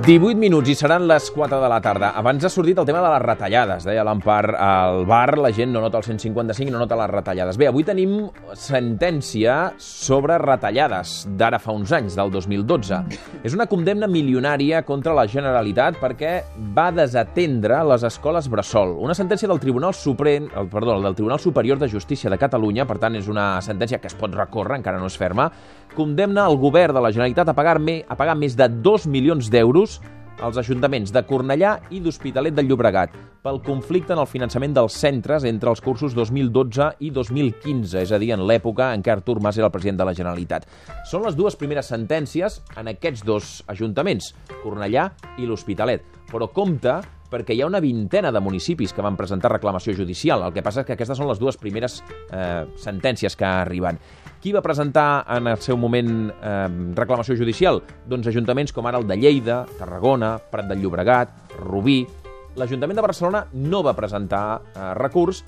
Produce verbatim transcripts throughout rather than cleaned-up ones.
divuit minuts i seran les quatre de la tarda. Abans ha sortit el tema de les retallades. Deia l'Empar, al bar la gent no nota el cent cinquanta cinc i no nota les retallades. Bé, avui tenim sentència sobre retallades d'ara fa uns anys, del dos mil dotze. És una condemna milionària contra la Generalitat perquè va desatendre les escoles bressol. Una sentència del Tribunal Suprem, perdó, del Tribunal Superior de Justícia de Catalunya, per tant és una sentència que es pot recórrer, encara no és ferma, condemna el govern de la Generalitat a pagar, a pagar més de dos milions d'euros als ajuntaments de Cornellà i d'Hospitalet de Llobregat pel conflicte en el finançament dels centres entre els cursos dos mil dotze i dos mil quinze, és a dir, en l'època en què Artur Mas era el president de la Generalitat. Són les dues primeres sentències en aquests dos ajuntaments, Cornellà i l'Hospitalet, però compte perquè hi ha una vintena de municipis que van presentar reclamació judicial. El que passa és que aquestes són les dues primeres eh, sentències que arriben. Qui va presentar en el seu moment eh, reclamació judicial? Doncs ajuntaments com ara el de Lleida, Tarragona, Prat de Llobregat, Rubí. L'Ajuntament de Barcelona no va presentar eh, recurs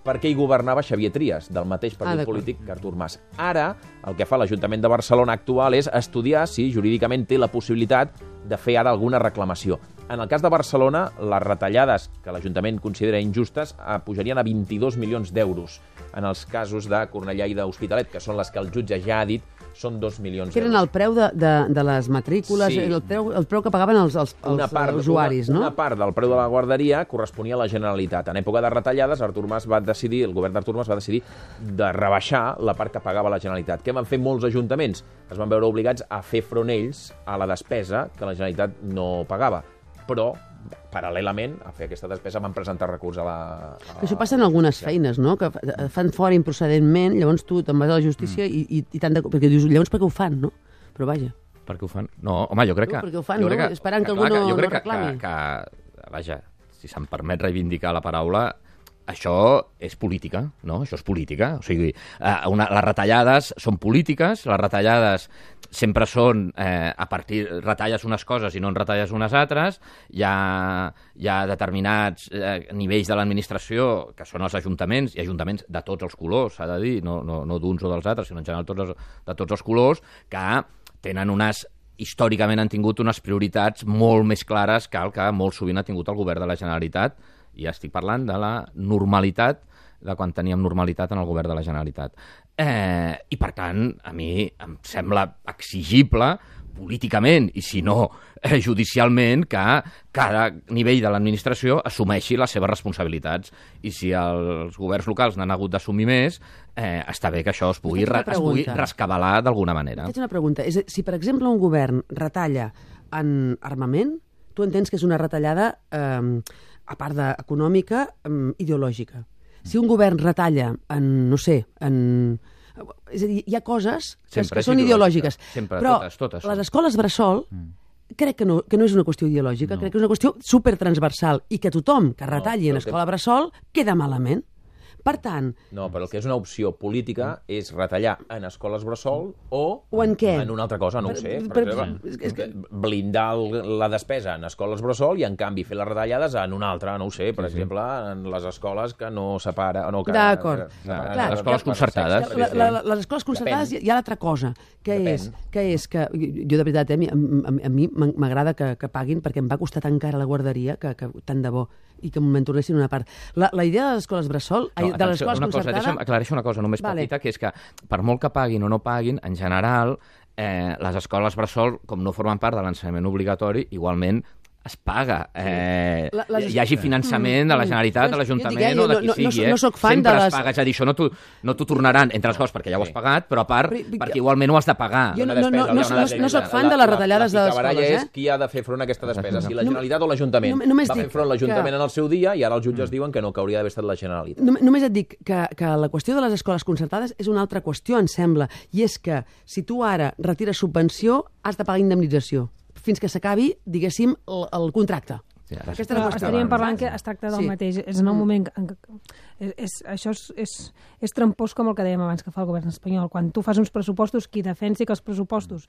perquè hi governava Xavier Trias, del mateix partit ah, polític que Artur Mas. Ara, el que fa l'Ajuntament de Barcelona actual és estudiar si jurídicament té la possibilitat de fer ara alguna reclamació. En el cas de Barcelona, les retallades que l'Ajuntament considera injustes eh, pujarien a vint-i-dos milions d'euros. En els casos de Cornellà i d'Hospitalet, que són les que el jutge ja ha dit, són dos milions d'euros. Que eren el preu de, de, de les matrícules, sí. el, preu, el preu que pagaven els, els, els part, usuaris, una, no? Una part del preu de la guarderia corresponia a la Generalitat. En època de retallades, Artur Mas va decidir, el govern d'Artur Mas va decidir de rebaixar la part que pagava la Generalitat. Què van fer molts ajuntaments? Es van veure obligats a fer front ells a la despesa que la Generalitat no pagava. Però, paral·lelament a fer aquesta despesa, van presentar recurs a la... A... Això passa en algunes feines, no? Que fan fora improcedentment, llavors tu te'n vas a la justícia mm. i, i, i tant de... Perquè dius, llavors per què ho fan, no? Però vaja. Per què ho fan? No, home, jo crec que... No, perquè ho fan, no? Que, esperant que, que algú no, jo crec no reclami. Que, que, que, vaja, si se'm permet reivindicar la paraula, això és política, no? Això és política. O sigui, una, les retallades són polítiques, les retallades sempre són eh, a partir... retalles unes coses i no en retalles unes altres. Hi ha, hi ha determinats eh, nivells de l'administració, que són els ajuntaments, i ajuntaments de tots els colors, s'ha de dir, no, no, no d'uns o dels altres, sinó en general tots els, de tots els colors, que tenen unes... històricament han tingut unes prioritats molt més clares que el que molt sovint ha tingut el govern de la Generalitat. I ja estic parlant de la normalitat, de quan teníem normalitat en el govern de la Generalitat. Eh, I, per tant, a mi em sembla exigible políticament, i si no eh, judicialment, que cada nivell de l'administració assumeixi les seves responsabilitats. I si els governs locals n'han hagut d'assumir més, eh, està bé que això es pugui, re, es pugui rescabalar d'alguna manera. Faig una pregunta. És, si, per exemple, un govern retalla en armament, tu entens que és una retallada, eh, a part d'econòmica, eh, ideològica. Si un govern retalla en, no sé, en... És a dir, hi ha coses que, que són ideològiques. Sempre, però totes, totes. Les escoles bressol mm. crec que no, que no és una qüestió ideològica, no. Crec que és una qüestió supertransversal i que tothom que retalli no, en escola bressol queda malament. Per tant... No, però el que és una opció política és retallar en escoles bressol o, o en, què? en una altra cosa, no per, ho sé. Per, per, exemple, és que... blindar el, la despesa en escoles bressol i, en canvi, fer les retallades en una altra, no ho sé, per sí, exemple, sí. en les escoles que no separa... No, D'acord. Les escoles concertades. La, la, la, les escoles concertades Depèn. Hi ha l'altra cosa, que és, que és que... Jo, de veritat, eh, a, a, a mi m'agrada que, que paguin perquè em va costar tan cara la guarderia que, que tant de bo, i que me'n tornessin una part. La, la idea de les escoles bressol, no, de les escoles concertades... Deixa'm aclareixo una cosa només vale. petita, que és que per molt que paguin o no paguin, en general, eh, les escoles bressol, com no formen part de l'ensenyament obligatori, igualment es paga. Eh, la, les... Hi hagi finançament de la Generalitat, de l'Ajuntament o de qui no, sigui. No, no, no soc fan Sempre de les... es paga. És a dir, això no t'ho no tornaran, entre les coses, perquè ja ho has pagat, però a part, però, perquè igualment ho has de pagar. Jo no, no, no, no, no, no soc fan de les retallades de les escoles. La és qui ha de fer front a aquesta despesa, si la Generalitat o l'Ajuntament. Va fer front l'Ajuntament en el seu dia i ara els jutges diuen que no, que hauria d'haver estat la Generalitat. Només et dic que, que la qüestió de les escoles concertades és una altra qüestió, em sembla, i és que si tu ara retires subvenció, has de pagar indemnització fins que s'acabi, diguéssim, el, el contracte. Sí, però estaríem parlant que es tracta del sí. mateix. És en un moment... És, és, això és, és, és trampós com el que dèiem abans que fa el govern espanyol. Quan tu fas uns pressupostos, qui defensi que els pressupostos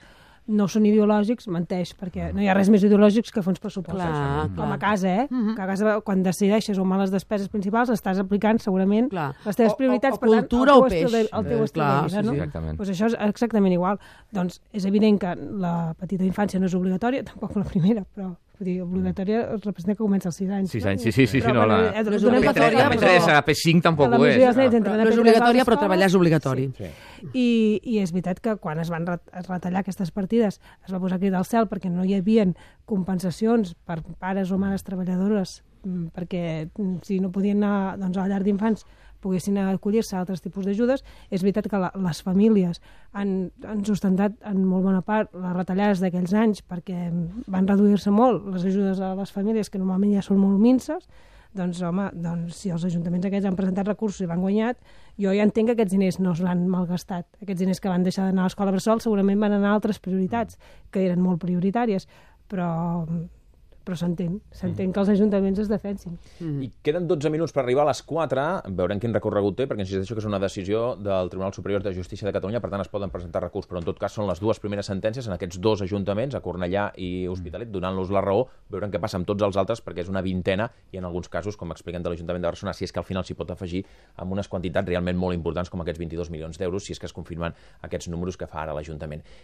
no són ideològics, menteix, perquè no hi ha res més ideològics que fer uns pressupostos. Clar, Com clar. a casa, eh? Mhm. Que a casa, quan decideixes on van les despeses principals, estàs aplicant segurament Clar. les teves O- o- prioritats, o per tant, cultura el o teu estil de, peix. el teu Eh, estil clar, de vida, sí, no? sí. Exactament. Pues això és exactament igual. Doncs és evident que la petita infància no és obligatòria, tampoc la primera, però vull dir, obligatòria representa que comença als sis anys. Sis no? anys, sí, sí, sí, sí, Però, no, bueno, la- eh, No és donem per obligatòria, fet A P que tres, això- a P cinc tampoc la ho és. majoria dels nens Ah. entren a No és P tres a obligatòria, les però treballar és escoles. obligatori. Sí. I, I és veritat que quan es van ret es retallar aquestes partides es va posar crit al cel perquè no hi havia compensacions per pares o mares treballadores mm, perquè mm, si no podien anar doncs, a la llar d'infants poguessin acollir-se a altres tipus d'ajudes. És veritat que la, les famílies han, han sustentat en molt bona part les retallades d'aquells anys perquè van reduir-se molt les ajudes a les famílies, que normalment ja són molt minces. Doncs, home, doncs, si els ajuntaments aquests han presentat recursos i van guanyat, jo ja entenc que aquests diners no l'han malgastat. Aquests diners que van deixar d'anar a l'escola bressol segurament van anar a altres prioritats, que eren molt prioritàries, però, però s'entén, s'entén que els ajuntaments es defensin. I queden dotze minuts per arribar a les quatre, veurem quin recorregut té, perquè insisteixo que és una decisió del Tribunal Superior de Justícia de Catalunya, per tant es poden presentar recurs, però en tot cas són les dues primeres sentències en aquests dos ajuntaments, a Cornellà i Hospitalet, donant-los la raó, veurem què passa amb tots els altres, perquè és una vintena, i en alguns casos, com expliquen de l'Ajuntament de Barcelona, si és que al final s'hi pot afegir amb unes quantitats realment molt importants, com aquests vint-i-dos milions d'euros, si és que es confirmen aquests números que fa ara l'Ajuntament.